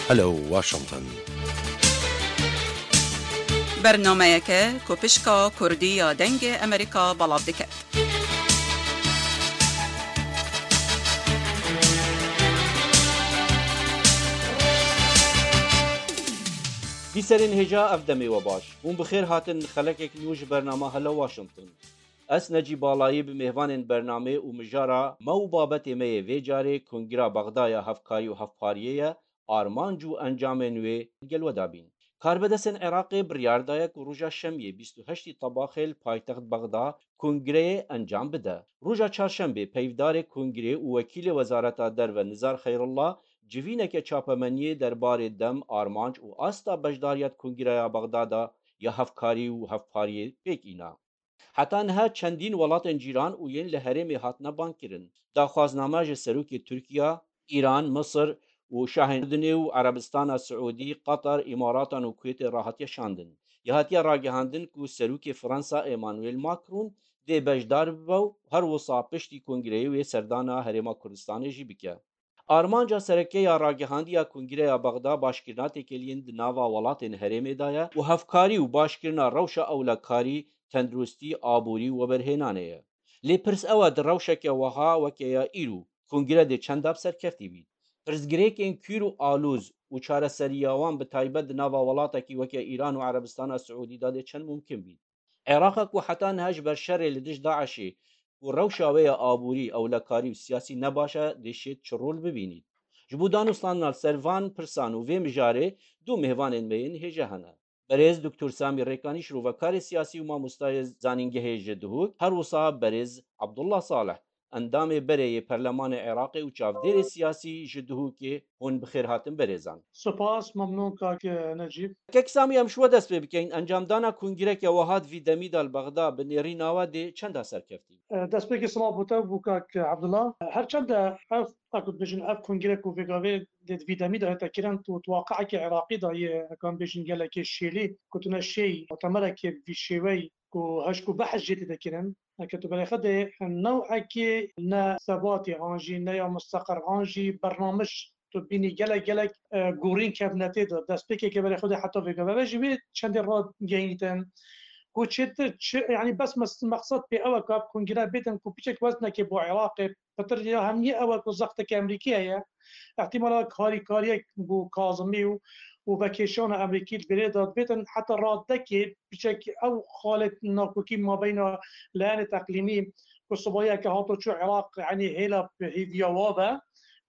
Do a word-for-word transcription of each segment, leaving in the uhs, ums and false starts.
Hello Washington. Bernameyeke ku pişka Kurdî ya Dengê Amerîka belav diket. Bîserên hêja, ev demê we baş. Hûn bi xêr hatin xelekek nû ji bernama Hello Washington. Ez Necîb Balayî bi mêvanên bernamê û mijara me û babetê me yê vê carê Kongira Bexda ya Hevkarî û Hevpariyê ye, armanc û encamên wê gel we dabîn. Karbidestên Iraqê biryar daye ku roja şemiyê bîst û heştî Tebaxê li paytext Bexda kongreyê encam bide. Roja çarşembê peyvdarê kongrê û wekîlê Wezareta Derve Nizar Xeyrullah civîneke çapemeniyê derbarê dem, armanc û asta beşdariya di Kongreya Bexda de ya Hevkarî û Hevpariyê pêk îna. Heta niha çendîn welatên cîran û yên li herêmê hatine bangkirin. Daxwazname ji serokê Tirkiya, Îran, Misir û Şahên Urdunê û Erebistana Siûdî, Qatar, Îmaratan û Kuwêtê re hatiye şandin. Ya hatiye ragihandin ku serokê Fransa Emmanuel Macron dê beşdar bibe û her wisa piştî kongreyê wê serdana Herêma Kurdistanê jî bike. Armanca sereke ya ragihandiya Kongreya Bexda başkirina têkiliyên di nava welatên herêmê de ye û hevkarî û başkirina rewşa ewlekarî, tenduristî, aborî û weberhênanê ye. Lê pirs ew e, di rewşeke wiha weke ya îro, kongre dê çenda bi serkeftî bît? Pirsgirêkên kûr û alûz û çareseriya wan bi taybet di nava welatekî weke Îran û Erebistana Siûdî de dê çend mumkin bît? Iraqek ku heta niha ji ber şerê li dij DAIŞê ku rewşa wê ya aborî, ewlekarî û siyasî ne baş e, dê şêt çi rol bibînît? Ji bo danûstandina li ser van pirsan û vê mijarê du mêvanên me yên hêja hene. Berêz Doktor Samî Rêkanî, şirovekarê siyasî û mamostayê zanîngehê ji Duhok, her wisa berêz Abdullah Salih, endamê berê yê Perlemanê Iraqê û çavdêrê siyasî ji Duhokê, hûn bi xêr hatin berêzan. Spas, memnûn kak Necîb. Kek Samî, em ji we dest pê bikeyn. Encamdana kongireke wiha di vî demî de li Bexda bi nêrîna we dê çenda serkeftî? E, destpêkê silav bo te, bo kak Abdullah. Her çende ev, eku dibêjin, ev kongire ku vêgavê dê di vî demî de hate kirin, tu, tu waqiekê Iraqî de yê, ekan bêjin, gelekê şêlî, ku tu ne şêy mutemerekê vî şêwey ku hişk û behs jê tê de kirin. Eke tu berê xwe dê newekê ne sebatê an jî ne ya musteqir an jî bernamij tu bînî gelek gelek, e, gorîn kevnetê de. Destpêkeke berê xwe dê heta vêga ve ji wê çendê ragehînîtin ku çêtir çi, yanî bes mes-, meqsed pê ew e ku ev kongre bêtin ku piçek weznekê bo Iraqê pitir ya hemiyê ew e ku zexteke Emerîkî heye. Ehtimala harîkariyek bo Kazimî û, û vekêşana Emerîkî li vêrê de dibêtin heta radekê piçek ew xalê nakokî mabeyna layenê teqlîmî ku sibayiyeke hato çû Iraq, yanî hêla hêviya wa be,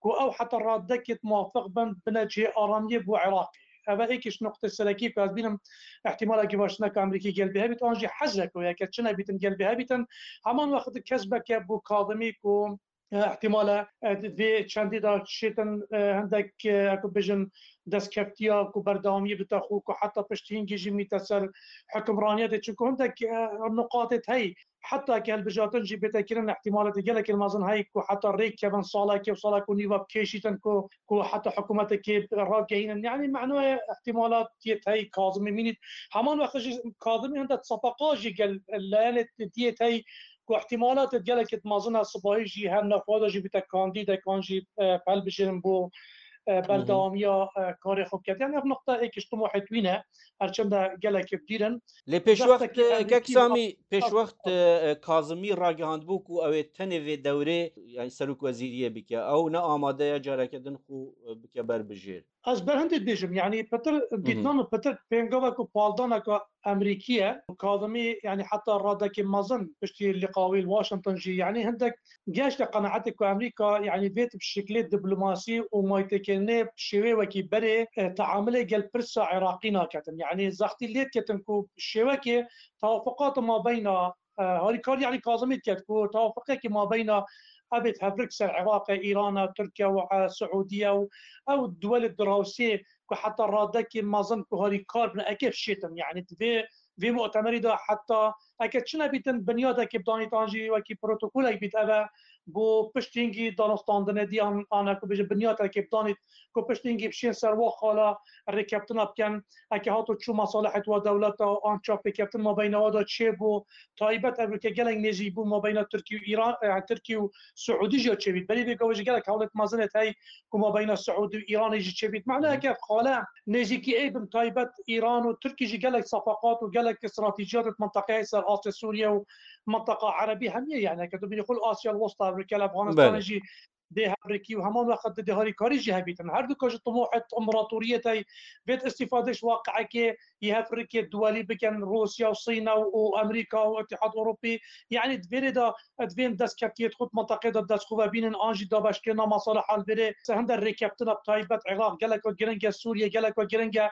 ku ew heta radekê muwafiq bin bine cihê aramiyê bo Iraqê. Ev e êkî ji nuqtê serekî ku ez bînim, ihtimalekî baş ne ku Emerîkî gel bê hebît, an jî hezrek wê, eke çi nebîtin gel bê hebîtin. Heman wext kesbeke bo Kazimî ku, e, ihtimale, e, di vê çendî de şêtin, e, hindek, e, ku bijin, destkeftiya ku berdewamiyê bite xwe, ku heta pişt hingî jî mîte ser hukimraniyetê. Çunku hindek, e, nuqatê hey, heta ke hilbijartin jî bête kirin, ihtimaletê gelekê mezin hey ku heta rê kevin salekê û salek û nîva bikêşîtin ku, ku heta hikûmetekê ragehînin. Yanî menoyê ihtimalat yê hey Kazimî mînît. Heman wext jî Kazimî hindek sepeqa jî gel layenê diyê hey ku ihtimalat gelekê mezin e sipahî jî her navxwe de jî bite kandîdek an jî, e, hilbijêrin bo, e, berdewamiya, e, karê xwe biket. Yanî ev nuqta êkî ji timohê wî ne. Her çende gelekê bi dîr in. Lê pêşwext, Zextekî e, Kek Emerîkî Samî, pêşwext, e, e, Kazimî ragihandibû ku ew ê tenê vê dewrê, yanî serokwezîriyê bike. Ew ne amade ye careke din xwe, e, bike ber bijêr. Ez ber hindê dibêjim, yanî pitir Hı hı. dîtnan û pitir pêngava ku paldaneka Emerîkî ye. Kazimî, yanî heta radekê mezin piştî lîqa wî li Washington jî, yanî hindek gehişte qenaetê ku Amerîka, yanî vê tip şiklê diplomasî û maytêkirinê bi şêwê wekî berê, e, teamilê gel pirsa Iraqî naketin. Yanî zextî lê diketin ku şêwekê tewafuqata mabeyna, e, harîkar, yanî Kazimî diket ku tewafuqekî mabeyna ebêt hevrik ser Iraqê, Îrana, Tirkiye û, e, Siûdiye û ew duwelê dirawsê ku heta radekê mezin ku harîkar bin eke şêtin. Yanî di vê, vê mutemerî de heta eke çi nebîtin binyadekê bidanît an jî wekî protokolek bît, ev e bo piştî hingî danûstandinê dî an, an ku bêje binyateke bidanît ku piştî hingî bişên ser wa xala rêkeftina bikin, eke hato çû mesalihê wa dewleta an çapêkeftin mabeyna wa da çêbû, taybet ev ke gelek nêzîk bû mabeyna Tirkî û Îran, e, Tirkî û Siûdî jî çêbît. Berî vê gavê jî gelek hewlet mezin ê heye ku mabeyna Siûdî û Îranê jî çêbît. Mehna eke xale nêzîkî ê bin taybet Îran û Tirkî jî gelek sefaqat û gelek stratejiyat di mintaqeyê ser astê Sûriye û mintaqa Erebî hemî ye. Yani eke tu bînî xul Asya Westa, Ewrokel, Afganistanê jî dê hevrikî û heman wext dê harîkarî jî hebîtin. Her du ka ji timohet împaratoriyê tey vêt îstîfade ji waqiekê yê hevrikê duwelî bikin, Rûsya û Sîna û Amerîka û Îtîhad Ewropî. Yani di vêrê de di vên destkeftiyê xwe di mintaqê de dest xwe vebînin an jî dabeşkirina mesaliha li vêrê hinde rêkeftina bi taybet Iraq gelek giring e, Sûriye gelek giring e.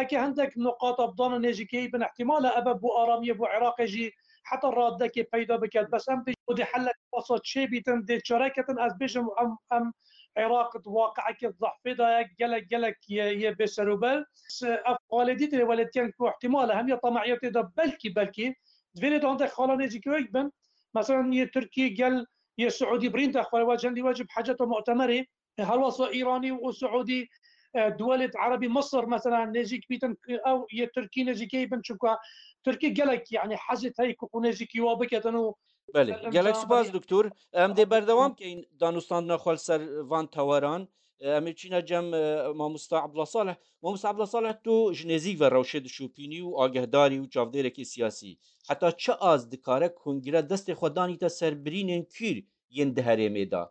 Eke hindek nuqata bidana nêzîkiyê bin ihtimal e ebe bo aramiyê bo Iraqê jî heta radekê peyda biket. Bes em bêjin ku dê hellek wasa çêbîtin, dê çareketin, ez bêjim em, em Iraq di waqiekê zehfê de ye, gelek, gelek yê, yê bêserûber. Ev xalê dî tê welêtiyen ku ihtimal e hemiya temahiyatê de belkî, belkî di vêrê de hindek xala nêzîkî wek bin. Mesela yê Tirkî gel yê Siûdî birîn de xwe we cendî we jî bi heceta mu'temerê. E, her wasa Îranî û Siûdî, e, duwelêt Erebî, Misir mesela nêzîk bîtin, ew yê Tirkî nêzîkê bin, çunka Tirkî gelek, yani hezê tey ku xwe nêzîkî wa biketin û Belê, gelek spas, doktor. Em dê berdewam keyin danûstandina xwe li ser van teweran. E, em ê çîne cem, e, mamosta Abdullah Salih. Mamosta Abdullah Salih, tu ji nêzîk ve rewşê dişopînî û agehdarî û çavdêrekî siyasî. Heta çi az dikare kongre destê xwe danîte ser birînên kîr yên di herêmê de?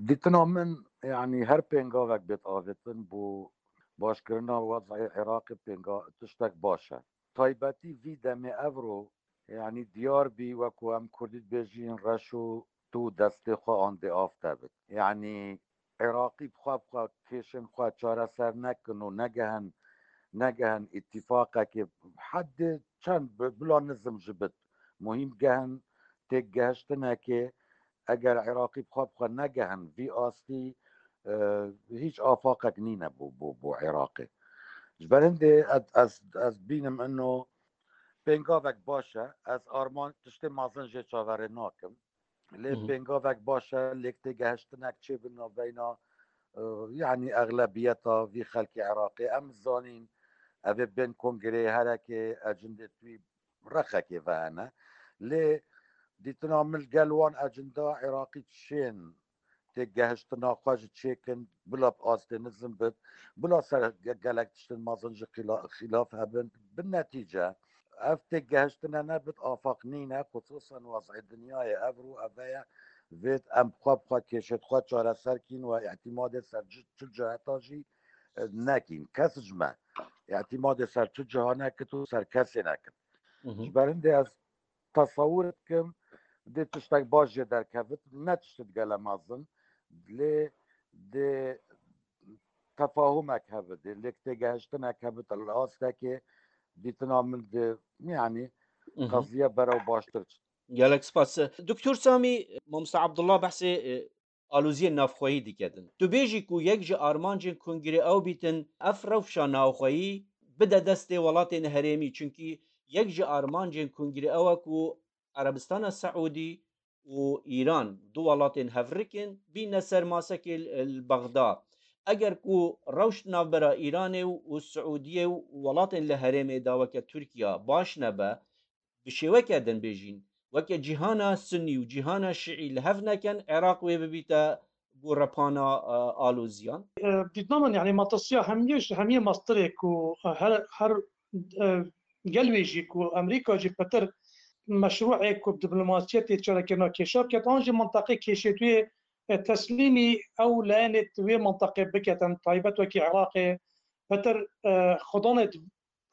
Dîtina min, yanî her pêngavek bêt avêtin bo başkirina wez'ê Iraqê pênga-, tiştek baş e. Taybetî vî demê evro, yanî diyar bî, wekû em Kurdî dibêjin, reş û tu destê xwe an dê av te bit. Yanî Iraqî bi xwe bi xwe kêşên xwe çareser nekin û negehin, negehin îtîfaqekê, heddê çend bi-, bila nizim jî bit. Muhîm gehin têgehiştinekê, eger Iraqî bi xwe bi xwe negehin vî astî, e, hîç afaqek nîne bo, bo, bo Iraqê. Ji ber hindê ez, ez, ez bînim ino pêngavek baş e. Ez arman tiştê mezin jê çaverê nakim. Lê Hı hı. Pêngavek baş e, lêk têgehiştinek çêbin navbeyna, e, yanî exlebiyeta vî xelkê Iraqê. Em zanîn, ev ê bên kongreyê herekê ecindê wî rexekê ve hene. Lê dîtina min gel wan ecinda Iraqî çên têgehiştina xwe ji çêkin, bila bi astê nizim bit, bila ser ge-, gelek tiştin mezin ji xîla-, xîlaf hebin. Bi netîce, ev têgehiştine nebit, afaq nîne, xusûsan wez'ê dinyayê evro ev e, vêt em bi xwe bi xwe kêşêt xwe çareser kîn we îtîmadê ser çi, çi ciheta jî, e, nekîn. Kes ji me îtîmadê ser çi ciha nekit û ser kesê nekit. Hı hı. Ji ber hindê ez tesewir dikim, dê tiştek baş jê derkevit, ne tişt digele mezin, lê dê tefahumek hebit, dê lêk têgehiştinek hebit, li astekê dîtina min di, yanî, Hı hı. qeziye berew baştir çit. Gelek spas. Doktor Samî, Mamosta Abdullah behsê, e, aloziyên navxweyî dike din. Tu bêjî ku yek ji armancên kongrê ew bîtin, ev rewşa navxweyî bide destê welatên herêmî, çunkî yek ji armancên kongrê ew e ku Erebistana Seûdî û Îran, du welatên hevrik in, bîne ser masekê li, li Bexda. Eger ku rewş navbera Îranê û, û Siûdiyê û welatên li herêmê de weke Tirkiye baş nebe, bi şêweke din bêjîn, weke cîhana Sunnî û cîhana Şiî li hev nekin, Iraq wê bibîte gorepana, e, aloziyan? E, dîtina min, yanî, matirsiya hemiyê ji hemiyê mastirê ku, e, her, her, e, gel wê jî ku Amerîka jî pitir meşrûê ku diplomasiyetê çarekirina kêşa biket, an jî mintaqê kêşê wê, e, teslîmî ew layenê di wê mintaqê biketin, taybet wekî Iraqê, pitir, e, xudanê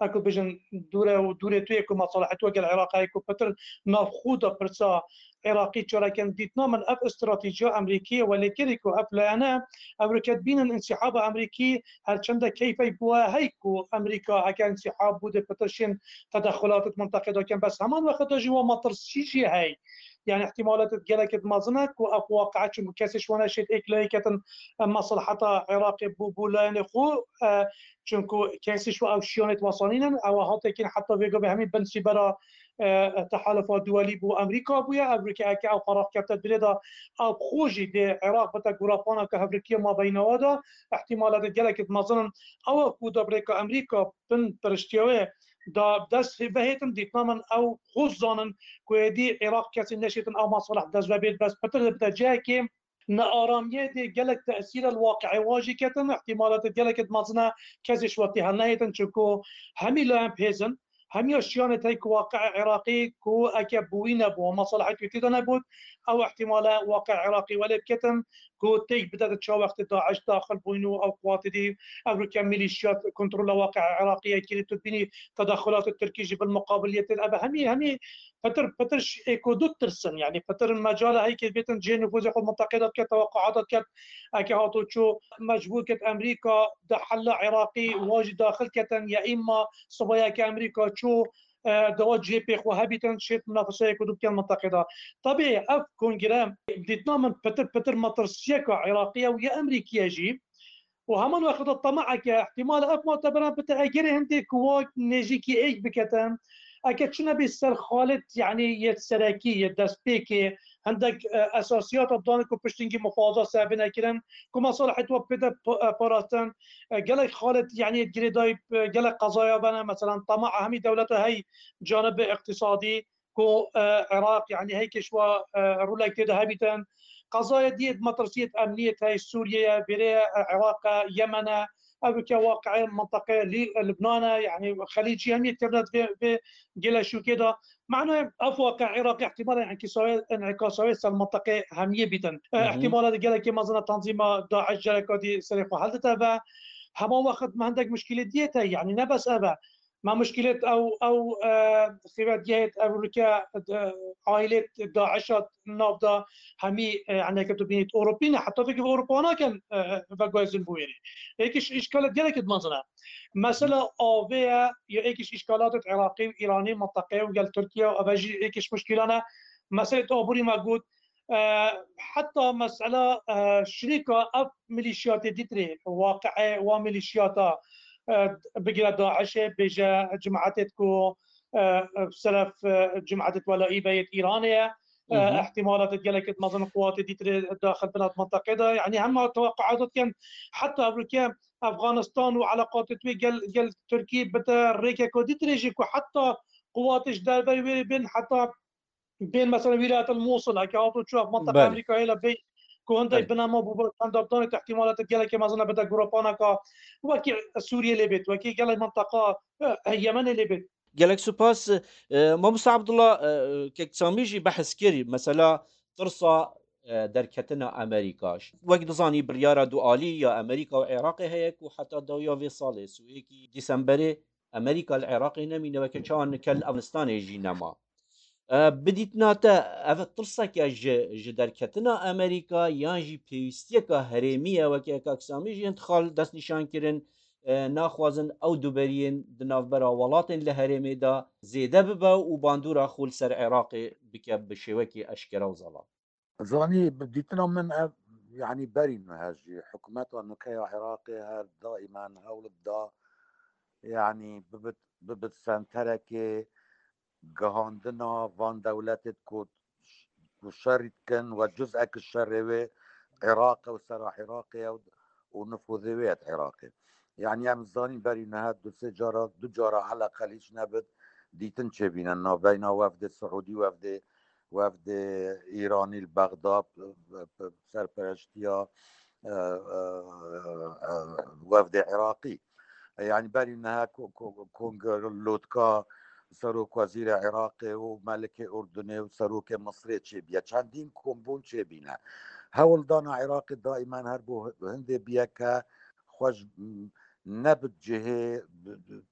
Eku bijin dûre û dûrê tu yê ku mesalihê tu gel Iraqê ku pitir navxwe de pirsa Iraqî çarekin dîtina min ev stratejiya Amerîkî ye welê kirî ku ev layene ew reket bînin însîhaba Amerîkî her çende keyfey bû hey ku Amerîka heke însîhab bû dê pitir şên tedexulat di mintaqê de kin bes heman wexta jî wa metirsî jî hey. Yani ihtimalat gelek mezin e ku ev waqia çunku kesê ji wana şêt êk layê ketin mesleheta Iraqê bû bû layenê xwe. Çunku kesê ji ew şiyanê wesanînin, ew hatekîn heta vê gavê hemî bin sîbera e, tehalufa duwelî bo Amerîka bûye. Ev rike eke ew qerax kevte dilê de, ew xwe jî dê Iraq bite gurapaneke hevrikiya mabeynawa de, ihtimalatê gelekê mezin in. Ew ku da birêka Amerîka bin piriştiya wê da dest vehêtin, dîtina min ew xwe zanin ku êdî Iraq kesî neşêtin ew masalih dest ve bêt, bes pitir dibite cihekê nearamiyê dê gelek tesîre li waqiê wa jî ketin, ihtimalatê gelekê mezin e kesê ji wextî helnehêtin, çunku hemî layan bihêz in, hemiya şiyanê tey ku waqiê Iraqî ku eke bûyî nebû, masalihê wî tê de nebût, ew ihtimale waqiê Iraqî welê biketin ku têk bide di çawa wextê DAIŞ daxil bûyn û ew quwatê dî, ev rike milîşiyat kontrola waqiê Iraqî ye kirî, tu dibînî tedexulatê Tirkî jî bil muqabiliyetê, ev hemî, hemî pitir, pitir ş-, êko du tirsin, yanî pitir mecala heyke bêtin cihê nifûzê xwe minteqê de diket, teweqûata diket, eke hato çû mecbûr ket Amerîka di hela Iraqî wa jî daxil ketin, ya îma sibayeke Amerîka çû, e, dewa cihê pê xwe hebîtin, şêt minafeseyeke du bikin minteqê de. Tabî ev kongre dîtina min pitir, pitir metirsiyeka Iraqî ye û ya Amerîkî ye jî. û heman wexta temaheke ihtimal ev muteberan bite egerê hindê ku wa nêzîkî êk biketin, eke çi nebî ser xalet, yanî yê serekî, yê destpêkê, hindek, e, esasiyata danê ku piştîngî muxwaza ser bine kirin, ku mesalihê wa pê de pa-, e, parastin, e, gelek xalet, yanî girêdayî, e, gelek qezaya bene, meselan, temaha hemî dewleta hey canibê iqtîsadî, ku, e, Iraq, yanî heyke ji wa, e, rolek tê de hebîtin. Qezaya diyê metirsiyê emniyê tey Sûriye ye, vêrê ye, e, Iraq e, Yemen e, ev ülke waqiê minteqê Lî-, Libnan e, yanî Xelîcî hemî tevnet vê, vê gele şûkê de. Mano ev waqiê Iraq ihtimal e, inkîsawê, inkîsawê ser minteqê hemiyê bîtin. E, Hı hı. ihtimalat gelekê mezin e tanzîma DAIŞ cereka dî serê xwe heldite ve. Hema wext me hindek muşkilê diyê te, yanî ne bes ev e. Ma muşkilêt ew, ew, e, xîvetiya hêt ev rike, e, aîlêt DAIŞa nav da hemî, e, eneke tu bînît Ewropî ne, heta vekî Ewropa nakin, e, veguhezin bûyerê. Êk iş-, îşkalet gelekî mezin e. Mesela avê ye, ya êk iş-, îşkalatêt Iraqî û Îranî, minteqeyê û gel Tirkiye, ev jî êk iş muşkîlan e. Meselêt aborî me got, e, heta mesela, e, şirîka ev milîşiyatê dîtirê, waqiê wa milîşiyata, e, bigire DAIŞê, bêje cimaetê ku, e, seref, e, cimaetê welaî be yê Îranê ye. E, Hı hı. ihtimalatê gelekê mezin quwatê dîtirê daxil bin at minteqê de. Yanî hema teweqûat dikin, heta evrike Efganistan û eleqatê wê gel, gel Tirkî bide rêkeko dîtirê jî ku heta quwatê ji derveyê wê bên, heta bên mesela wîlayet el Mosul, eke hato çû ev minteqa Belê. Amerîkayê le bê ku hindek Belê. binema bû, bi çendabdanê te ihtimalatê gelekê mezin e bide grupaneka wekî Sûriyê lê bêt, wekî gelek minteqa, e, Yemenê lê bêt. Gelek spas. E, Mamosta Abdullah, e, kek Samî jî behs kir, mesela tirsa, e, derketina Amerîka. Wek dizanî biryara dualî ya Amerîka û Iraqê heye ku heta dawiya vê salê, siyê yekê Dîsemberê, Amerîka li Iraqê nemîne, weke çawa nike li Efganistanê jî nema. E, bi dîtina te, ev tirseke ji, ji derketina Amerîka yan jî pêwîstiyeke herêmî ye, weke kak Samî jî hin xal destnîşan kirin, e, naxwazin ew duberiyên di navbera welatên li herêmê de zêde bibe û bandora xwe li ser Iraqê bike bi şêwekî eşkere û zelal. Zanî, bi dîtina min ev, yanî berî niha jî hikûmeta nûke ya Iraqê her daîmen hewl dida, yanî bibit, bibit senterekê gihandina van dewletê ku, ku şerî dikin we cuz'ek şerê wê Iraq e û sera Iraqê ye û nifûzê wê ye Iraqê. Yanî em zanîn berî niha du sê cara, du cara eleqel hiç nebit dîtin çêbîne navbeyna wefdê Siûdî, wefdê, wefdê Îranî li Bexda, p-, p-, p-, serpereştiya, e, e, e, wefdê Iraqî. Yanî berî niha ko-, ko-, kongre lotka Serok Wezîrê Iraqê û Melikê Urdunê û Serokê Misirê çêbîye. Çendîn kombûn çêbîne. Hewldana Iraqê daîmen her bo hindê biyeke xwe ji, nebit cihê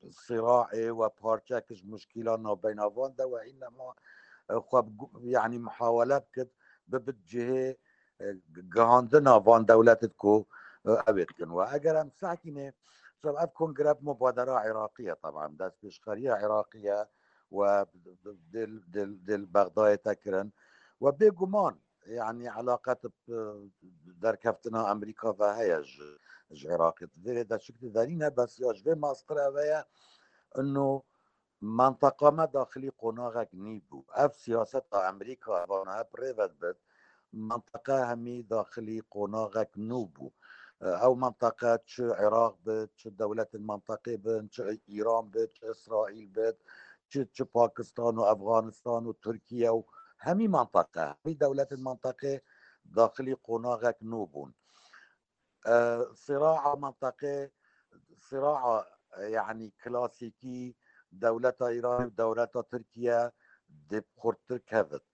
siraê we parçek ji muşkîla navbeyna van de we înema, e, xwe bi gu-, yanî muhawele bikit, bibit cihê, e, gihandina van dewletê ku, e, ew ê dikin. We eger em sekînê, ev kongre bi mubadera Iraqî ye, teben destpêşxeriya Iraqî ye we dê, dê, dê li Bexdayê te kirin. We bêguman, yanî eleqet bi derkeftina Amerîka ve heye ji, ji Iraqê. Vêrê de çik diderîne, bes ya ji vê mastir ev heye, ino Menteqa me daxilî qonaxek nî bû. Ev siyaseta Amerîka vana hep rêve dibit. Menteqa hemî daxilî qonaxek nû bû. Ew menteqe çi Iraq bit, çi dewletên menteqê bin, çi Îran bit, çi Îsraîl bit, çi, çi Pakistan û Efxanistan û Tirkiye û hemî menteqe, hemî dewletên menteqê daxilî qonaxek nû bûn. E, siraa menteqê, siraa, e, yanî klasîkî dewleta Îranê û dewleta Tirkiye dê xurttir kevit.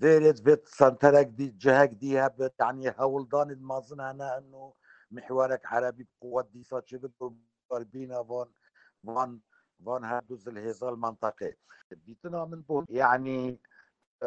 Vêrê vê senterek dî, cihek dî hebit, yanî hewldanê mezin hene eno mihwerek erebî bi quwet dîsa çêbik û berbîna van, van, van her du zilhêza li menteqê. Dîtina min bû, yanî, e,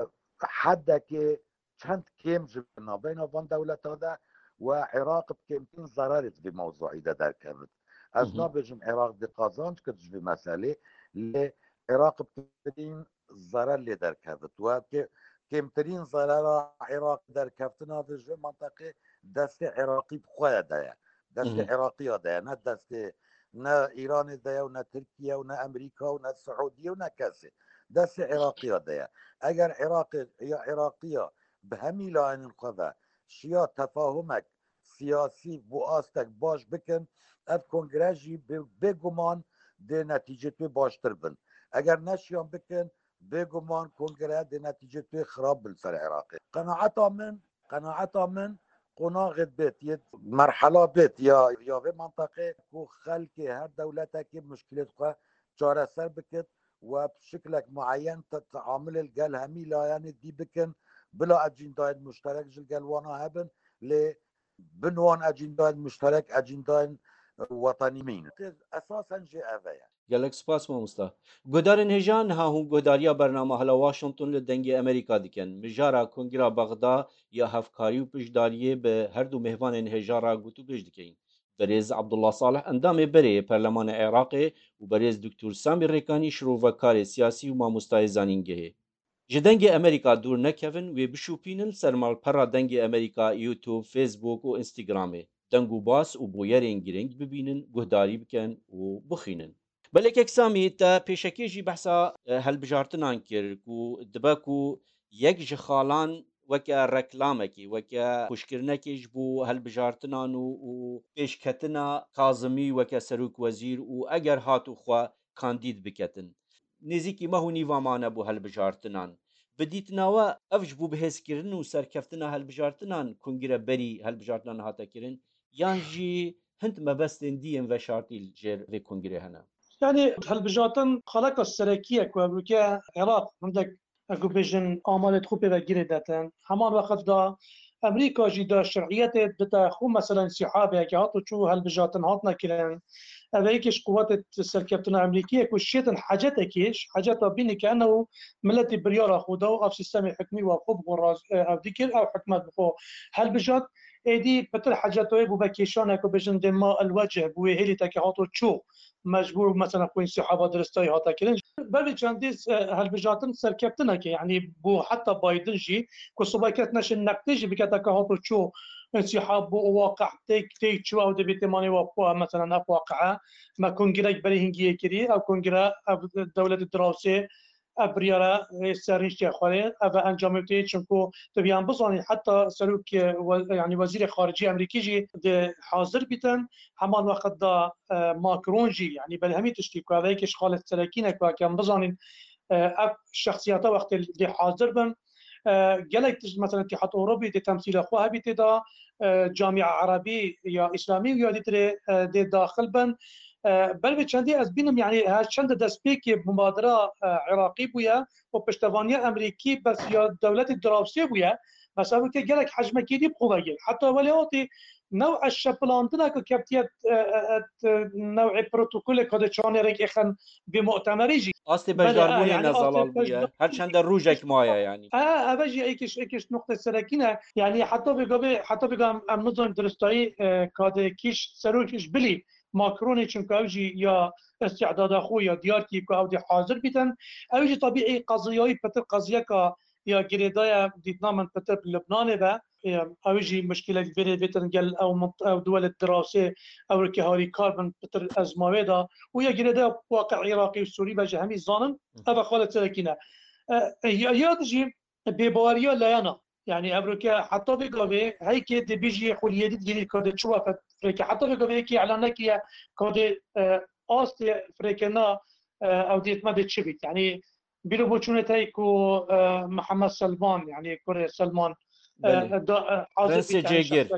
hedekê çend kêm ji navbeyna van dewleta de we Iraq bi kêmtirîn zerarê di vê mewzuî de derkevit. Ez Hı hı. nabêjim Iraq dê qazanc kir ji vê meselê, lê Iraq bi kêmtirîn zerar lê derkevit. We kê-, kêmtirîn zerara Iraq derkeftina vê ji vê menteqê destê Iraqî bi xwe de ye. Destê Hı hı. Iraqiya de ye, ne destê ne Îranê de ye û ne Tirkiye û ne Amerîka û ne Siûdiye û ne kesê. Destê Iraqiya de ye. Eger Iraqê ya Iraqiya bi hemî layenên xwe ve şiya tefahumek siyasî bo astek baş bikin, ev kongre jî bê-, bêguman dê netîcê wê baştir bin. Eger neşiyan bikin, bêguman kongre dê netîcê wê xirab bin ser Iraqê. Qenaeta min, qenaeta min qonaxê bêt, yê merhela bêt ya, ya vê menteqê ku xelkê her dewletekê muşkilêt xwe çareser bikit, we bi şiklek mueyen te-, teamilê li gel hemî layenê dî bikin, bila ecîndayên muşterek ji gel wana hebin, lê bin wan ecîndayên muşterek, ecîndayên wetanî mîn. Esasen jê ev e ye. Gelek spas mamosta. Guhdarên hêja, niha hûn guhdariya bernama Hela Washington li Dengê Amerîka dikin. Mijara Kongira Bexda ya Hevkarî û Piştdariyê bi her du mêvanên hêja re gotûbêj dikeyin. Berêz Abdullah Salih endamê berê yê Perlemanê Iraqê û berêz Doktor Samî Rêkanî şirovekarê siyasî û mamostayê zanîngehê. Ji Dengê Amerîka dûr nekevin, wê bişopînin ser malpera Dengê Amerîka, YouTube, Facebook û Instagramê. Deng û bas û bûyerên girîng bibînin, guhdarî bikin û bixwînin. Belê kek Samî, te pêşekê jî behsa, e, hilbijartinan kir ku dibe ku yek ji xalan weke reklamekî, weke xweşkirinekê ji bo hilbijartinan û, û pêşketina Kazimî weke serokwezîr û eger hat û xwe kandîd biketin. Nêzîkî meh û nîva mane bo hilbijartinan. Bi dîtina we ev ji bo bihêzkirin û serkeftina hilbijartinan kongre berî hilbijartinan hate kirin, yan jî hind mebestên dî yên veşartî li jêr vê kongrê hene? Yanî hilbijartin xaleka serekî ye ku ev ûke Iraq hindek, ez ku bêjin, amalê xwe pê ve girê detin. Heman wext de Amerîka jî da şer'iyetê dite xwe, meselen, Sîhabê, yekê hat û çû hilbijartin hatine kirin. Ev e yekê ji quwetê serkeftina Amerîkî ye ku şêtin hecetekê, ji heceta bînî ke ene û miletî biryara xwe da û ev sîstemê hikmî wa xwe bi xwe raz-, e, ev dikir, ew hikmet bi xwe hilbijart. Êdî pitir heceta wê bûbe kêşanek ku bêjin dê ma el wecih bû wê hêlî teke hat û çû. Mecbûr, mesela, xwîn sîhaba diristayî hate kirin. Ber vê çendî, e, hilbijartin serkeftineke, yanî bû heta Biden jî, ku sibe kes neşin neqdê jî bike, teke hat û çû, e, sîhab bû û waqe têk, têk çû, ew dê bê têmanê wa xwe, mesela, ev waqe, me kongrek berê hingiyê kirî, ew kongre, ev dewletê dirawsê, ev biryara, e, serrîştiya xwe rê, ev e encamê tê, çimku tu biyan bizanî, heta serok, e, we-, yanî wezîrê xaricî Amerîkî jî dê hazir bîtin, heman wext da, e, Macron jî, yanî belê hemî tiştî ku ev yekê ji xalê serekî ne ku em bizanîn, e, ev şexsiyeta wextê dê hazir bin. E, gelek tişt, mesela Îtîhad Ewropî dê temsîla xwe hebî tê de, e, Camia Erebî ya Îslamî û ya dîtirê, e, dê daxil bin. E, ber vê çendî ez bînim, yanî her çend destpêkê mubadira, e, Iraqî bûye û piştevaniya Amerîkî bes ya dewletê dirawsê bûye. Bes ev ke gelek hecmekî dî bi xwe vegir. Heta welê hatî new'e şepilandina ku kevtiye, e, e, e, new'ê protokolê ku dê çanê rêk êxin vê mu'temerî jî. Astê Belê, e, beşdarbûnê yanî ne astê zelal bûye. beşdar- Her çende rojek maye yanî. E, ev jî êkiş, êkiş nuqtê serekî ne. Yanî heta vê gavê, heta vê gavê em, em nizanin diristayî, e, ka dê kîş serok ji bilî Macronê, çimku ew jî ya îstîdada xwe ya diyar kî ku ew dê hazir bîtin. Ew jî tabîî qeziyayî pitir qeziyeka ya girêdayî dîtina min pitir bi Lubnanê ve. e, ew jî muşkilek vêrê vêtin gel ew mint-, ew duwelê dirawsê, ew rikê harîkar bin pitir ezma wê de. Û ya girêde waqi Iraqî û Sûrî ve ji hemî zanin, ev xalet serekî ne. E, e, ya, ya dijî bêbaweriya layena. Yani ev rike heta vê gavê heykê dibêjî xuliyê dî digirî kade çi wefet rike. Heta vê gavê yekî elan nekiriye kade, e, astê firêkirina, e, ew dêtme de çi bît. Yani bîro bo çûnê tey ku, e, Mihemed Selman, yani kurê Selman, e, Belê. da, e, hazir Prensê bît, yani Cêgir. şexsiyet.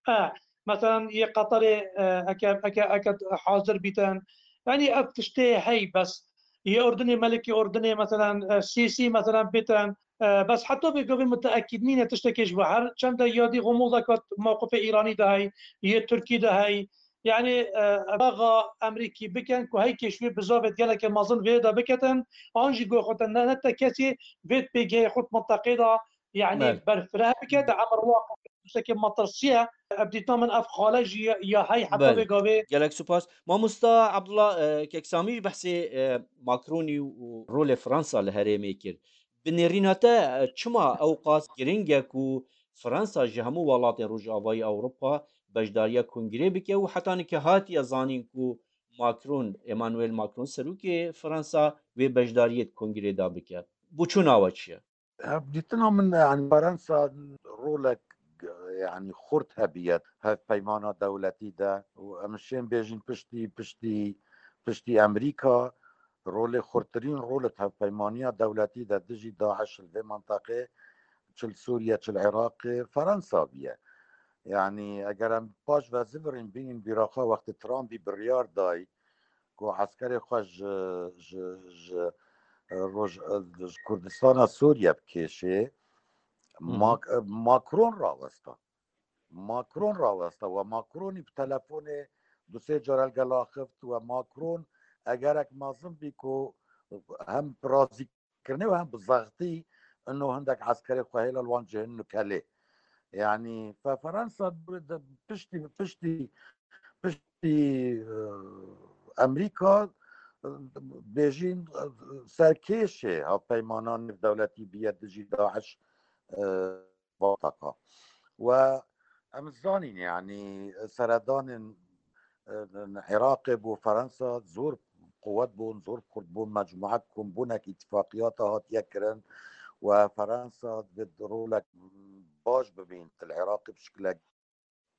E, mesela yê Qatarê, e, eke, eke, eke hazir bîtin. Yani ev tiştê hey bes. Yê Urdunê, Melikê Urdunê, mesela, e, Sîsî, mesela bîtin. E, bes heta vê gavê muteekîd nîne tiştekê ji bo. Her çende yadî xumul dekat mewqifê Îranî de hey, yê Tirkî de hey. Yani, e, baxa Emerîkî bikin ku hey kêşwê bizavêt geleke mezin vê de biketin, an jî goxotin ne, ne te kesî vêt pêgehê xwe di mintaqê de, yani Belê. berfireh bike, de emir waqt tiştekê matirsiye, ev dîtna min ev xale jî ya hey heta Belê. vê gavê. Gelek spas. Mamosta Abdullah, e, Keksamî jî behsê, e, Macronî û rolê Fransa li herêmê kir. Bi nêrîna te, e, çima ew qas giring e ku Fransa ji hemû welatên Rojavayî Ewropa beşdariya kongrê bike û heta nike hatiye zanîn ku Macron, Emmanuel Macron, serokê Fransa vê beşdariyê di kongrê de bike? Boçûna we çi ye? Ev dîtina min, yani Fransa rolek, yani xurt hebiye hevpeymana dewletî de û em şên bêjin piştî, piştî, piştî Emerîka rolê xurtirîn rolê hevpeymaniya dewletî de dijî DAIŞ li vê mintaqê, çi li Sûriye, çi li Iraqê, Fransa biye. Yani eger em paş ve zivirîn bînin bîraxa wextê Trumpî biryar dayî ku eskerê xwe ji, ji, ji, roj, ji Kurdistana Sûriye bikêşê, Mhm. Mac-, Macron rawesta. Macron rawesta we Macronî bi telefonê du sê cara li gel axift we Macron egerek mezin bî ku hem bi razîkirinê û hem bi zextî ino hindek eskerê xwe hêla li wan cihên nukelê. Yani fe Fransa de piştî, piştî, piştî, e, Emerîka, e, bêjîn, e, serkêşê hevpeymana nêvdewletî biye dijî DAIŞ, e, vataka. We em zanîn, yani seredanên, e, Iraqê bo Fransa zor quwet bûn, zor kurt bûn, mecmuet kom bûnek îtifaqiyata hatiye kirin we Fransa divê rolek baş bibîn li Iraqê bi şikilek,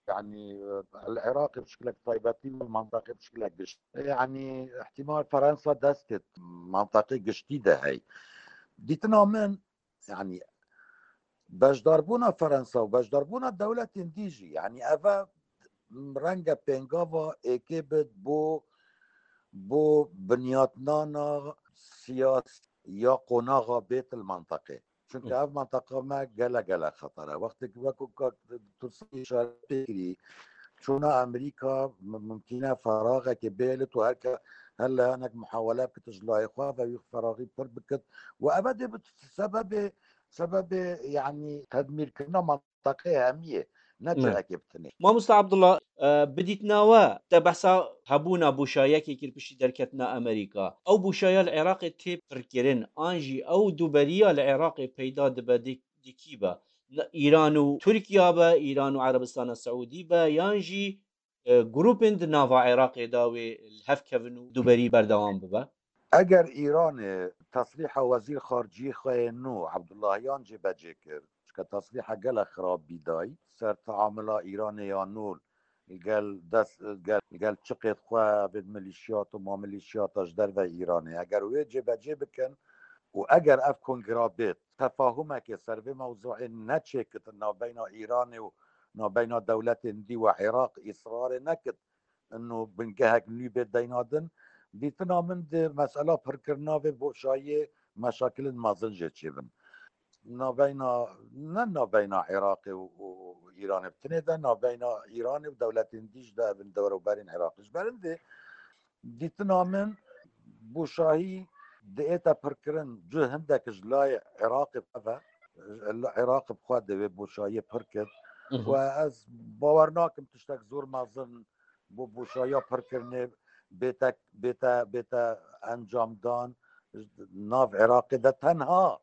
yani, e, li Iraqê bi şikilek taybetî û mantaqê bi şikilek gişt. Yani, ihtimal Fransa destê mantaqê giştî de hey. Dîtina min, yani, beşdarbûna Fransa û beşdarbûna dewletên dî jî, yani, eve renge pêngava êkê bit bo, bo binyatnana siyas ya qonaxa bêt li mantaqê. Çünkü Hı. ev mantaqa me gele gele xeter e. Wextê ku wekî ka tu îşaret pê kirî, çûna Amerîka mi-, mimkîn e feraxekê bêlit û her ke her leyanek muhawele bikit ji layê xwe ve wî feraxî pir bikit. Û eve dê bi sebebê, sebebê, yani, tedmîrkirina mantaqê hemiyê, ne Ne. cihekê bi tinê. Mamosta Abdullah, e, bi dîtina we, te behsa hebûna boşayekê kir piştî derketina Amerîka. Ew boşaya li Iraqê tê pirkirin, an jî ew duberiya li Iraqê peyda dibe di, di kî be? Ne, Îran û Tirkiye be, Îran û Erebistana Seûdî be, yan jî, e, grûpên di nava Iraqê de wê li hev kevin û duberî berdewam bibe? Eger Îranê tesrîha wezîr xaricî xwe yê nû Abdullahiyan cêbecê kir, çike tesrîha gelek xirab bî dayî, ser teamula Îranê ya nû li gel dest, gel, gel çiqêt xwe vê milîşiyat û mamilîşiyata ji derve Îranê. Eger wê cêbecê bikin û eger ev kongra bêt, tefahumekê ser vê mewzuê neçêkitin navbeyna Îranê û navbeyna dewletên dî we Iraq îsrarê nekit, ino bingehek nû bê deyna din, dîtina min di mesela pirkirina vê boşayiyê meşakilên mezin jê çêbin. Navbeyna, ne navbeyna Iraqê û, û Îranê bi tinê de, navbeyna Îranê û dewletên dî jî de evin dewroberên Iraqê. Ji ber hindê dîtina min boşahî diête pirkirin, cih hindek ji layê Iraqê ve, Iraqê bi xwe de vê boşayiyê pir kir. Mhm. Û ez bawer nakim tiştek zor mezin bo boşayiya pirkirinê bête, bête, bête encamdan nav Iraqê de tenha,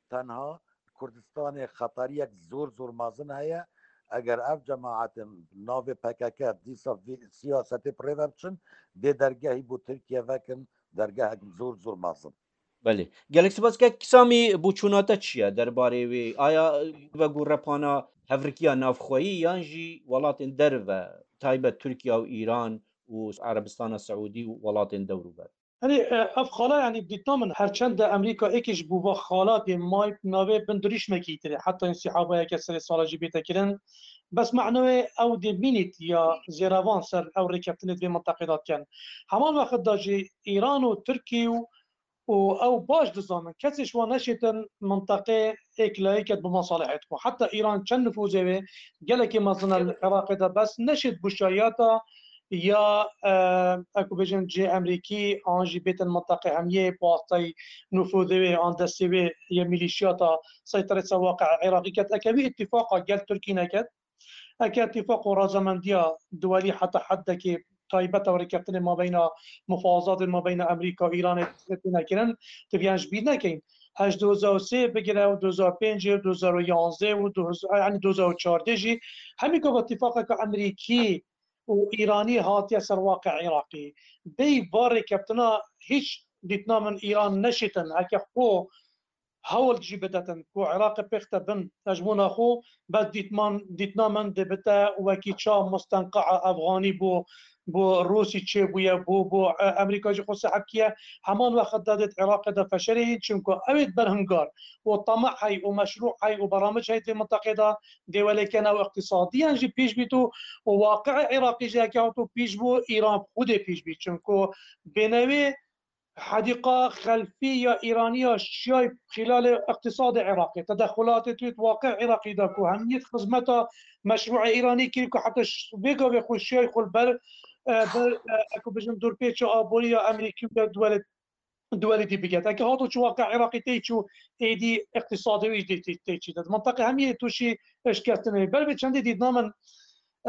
tenha Kurdistanê xeteriyek zor zor mezin heye. Eger ev cemaetin navê P K K dîsa vî siyasetê bi rê ve biçin, dê dergehî bo Tirkiye vekin, dergehek zor zor mezin. Belê. Gelek spas. Kek Samî, boçûna te çi ye derbarê wê? Aya, e, ve ku repana hevrikiya navxweyî yan jî welatên derve, taybet Tirkiye û Îran û Erebistana Seûdî û welatên dewrûber? Erê, e, ev xala, yanî, dîtna min, her çend de Amerîka êkê ji bo va xala dê may navê bindirîşmekî tê, heta insîhabayeke serê sala jî bête kirin. Bes mehna wê ew dê mînît ya zêrevan ser ew rêkeftinê di vê minteqê de dikin. Heman wexit de jî Îran û Tirkî û, û ew baş dizanin, kesê ji wan neşêtin minteqê êklayî ket bi mesalihê xwe. Heta Îran çend nifûzê wê gelekî mezin e li Iraqê de, bes neşêt bûşayata ya, e, eku bêjin cihê Emerîkî an jî bêtin minteqê hemiyê bi wastayî nifûzê wê an destê wê yê mîlîşiyata seyterê ser waqi'a Iraqî ket. Eke wî îtîfaqa gel Tirkî neket, eke îtîfaq û razamendiya duwelî heta heddekê taybet e rêkeftinê mabeyna mufawazatê mabeyna Amerîka û Îranê tê nekirin, tu viyan ji bîr nekeyin. Ez ji du hezar û sê bigire û du hezar û pêncê û du hezar û yanzdeh û du hezar, yanî du hezar û çardeh jî hemî gava îtîfaqeke Amerîkî û Îranî hatiye ser waqe Iraqî. Bêyî va rêkeftina hîç dîtina min Îran neşîtin, heke xwe hewl jî bidetin ku Iraqê pêxte bin hejmûna xwe, bes dîtman, dîtina min dê bite wekî ça mustenqaa Efxanî bû, bo Rûsî çêbûye, bo, bo, e, Amerîka jî xwe seheb kiye. Heman wexit de dê di Iraqê de feşerê yîn, çimku ew ê berhingar û tamac hey û meşrû hey û beramij hey di vê minteqê de dê welêkene û iqtîsadiyan jî pêş bît û, û waqi'ê Iraqî jî heke hato pêş bû, Îran xwedê pêş bît. Çimku bênewê hedîqa xelfî ya Îranî ya şiyay xîlalê iqtîsadê Iraqê, tedexulatê tu yê di waqê Iraqî de ku hemiyê di xizmeta meşrûê Îranî kirî ku heta ş-, vê gavê xwe şiyay xwe li ber, e, ber, e, eku bijin dûrpêça aborî ya Amerîkî û ya duwelê, duwelê dî biget. Eke hato çû waqê Iraqî tê çû êdî iqtîsadê wî jî tê, tê, tê çî de. Di mintaqê hemiyê tûşî eşkestinê. Ber vê çendê dîtina min,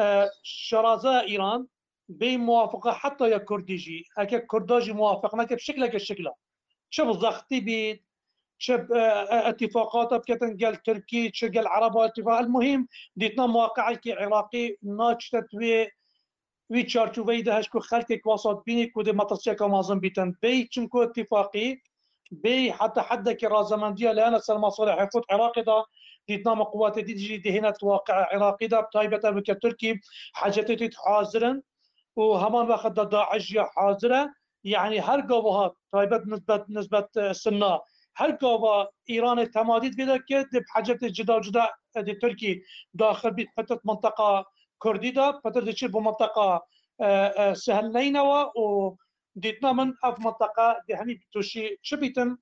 e, şaraza Îran, bê muwafiqa heta ya Kurdî jî, heke Kurda jî muwafiq neke bi şikleke şikla. Çi bi zextî bît, çi bi, e, e, îtîfaqata biketin gel Tirkî, çi gel Ereba îtîfaq. El muhîm, dîtina muwaqi'ekî Iraqî naçite di wê, wî çarçoveyî de hej ku xelkek wasa dibînî ku dê metirsiyeke mezin bîtin. Bê çimku îtîfaqî, bê heta heddekî razemendiya leyana ser mesalihê xwe di Iraqê de, dîtina min quwetê dî jî dihêne di waqi'a Iraqî de, bi taybet ev ke Tirkî hecetê tê hazir in. û heman wexit de DAIŞ ya hazir e. Yanî her gava hat, taybet nisbet, nisbet, e, Sinna, her gava Îranê temadî divê de ke di hecetê cida cida, e, di Tirkî daxil bît, pitir minteqa Kurdî de, pitir diçî bo minteqa, e, e, Sihel Neynewa û dîtina min ev minteqa di hemî tûşî çi bîtin,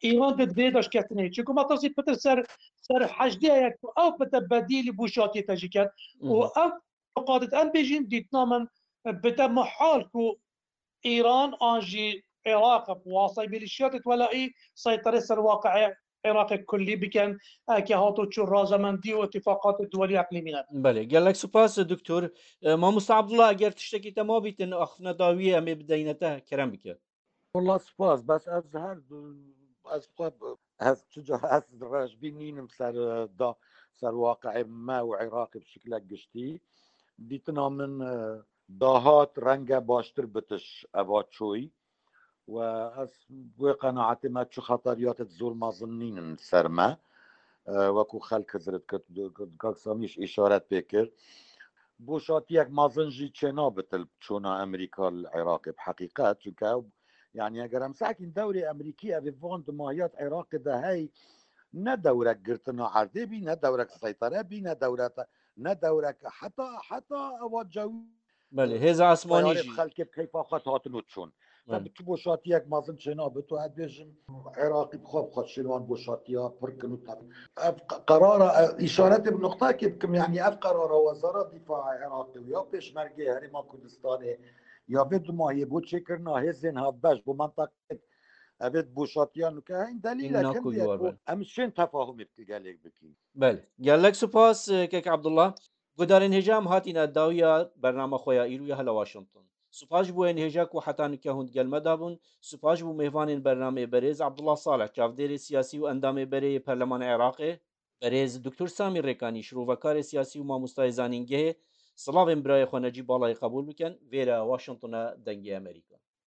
Îran di divê de şikestinê. Çimku metirsî pitir ser, ser hecdê ye ku ew bite bedîlî bûşatiyê te jî ket. Û Mhm. ev Qadit em bêjin dîtina min bide mihal ku Îran an jî Iraq bi wasiteyê milîşiyatê welayî seyterê ser waqi'ê Iraqê kullî bikin, eke hato çû razamendî û îtîfaqatê duwelî eqlîmî ne. Belê, gelek spas, doktor. E, Mamosta Abdullah, eger tiştekî te mabîtin, axiftina dawiyê em ê bideyne te, kerem bike. Wela spas, bes ez her, ez xwe, ez çi ca ez rejbî nînim ser, e, da, ser waqi'ê me û Iraqê bi şiklek giştî. Dîtina min, e, dahat renge baştir bitiş eva çoyî. We ez wê qenaetê me çi xeteriyatê zor mezin nînin ser me. E, weku xelk hizir dikir, Kak Samî jî îşaret pê kir. Boşatiyek mezin jî çênabitil çûna Amerîka li Iraqê bi heqîqet, çunke ew, yanî eger em sekîn dewrê Amerîkî ev ê van dimahiyat Iraqê de hey, ne dewrek girtina erdê bî, ne dewrek seytere bî, ne dewrete, ne dewrek heta, heta ewa cewî Belê, hêza esmanî teyarê jî. Xelkê bi keyfa xwe hatino çûn. Te Belê. Bi çi boşatiyek mezin çênabit û ez bêjim, Iraqî bi xwe bi xwe şênwan boşatiya pir kin û te-, ev qe-, qerara, e, îşaretê bi nuqtekê bikim, yanî ev qerara Wezara Dîfaa Iraqê û ya Pêşmergê Herêma Kurdistanê ya vê dumahiyê bo çêkirina hêzên hevbeş bo menteqê evê boşatiya nuke, hên delîlek Îna hindê ku ye war ku be. Em şên tefahumê bi gelêk bikin. Belê. Gelek spas, e, Kek Abdullah. Gudarên hêja em hatîne dawiya bernama xwe ya îro ya hela Washington. Spas ji bo ên hêja ku heta nike hûn digel me de bûn. Spas ji bo mêvanên bernameyê berêz Abdullah Salih, çavdêrê siyasî û endamê berê yê Perlemanê Iraqê, berêz Doktor Samî Rêkanî, şirovekarê siyasî û mamostayê zanîngehê. Silavên birayê xwe Necîb Balayê qebûl bikin. Vêre Washingtona Dengê Amerîka.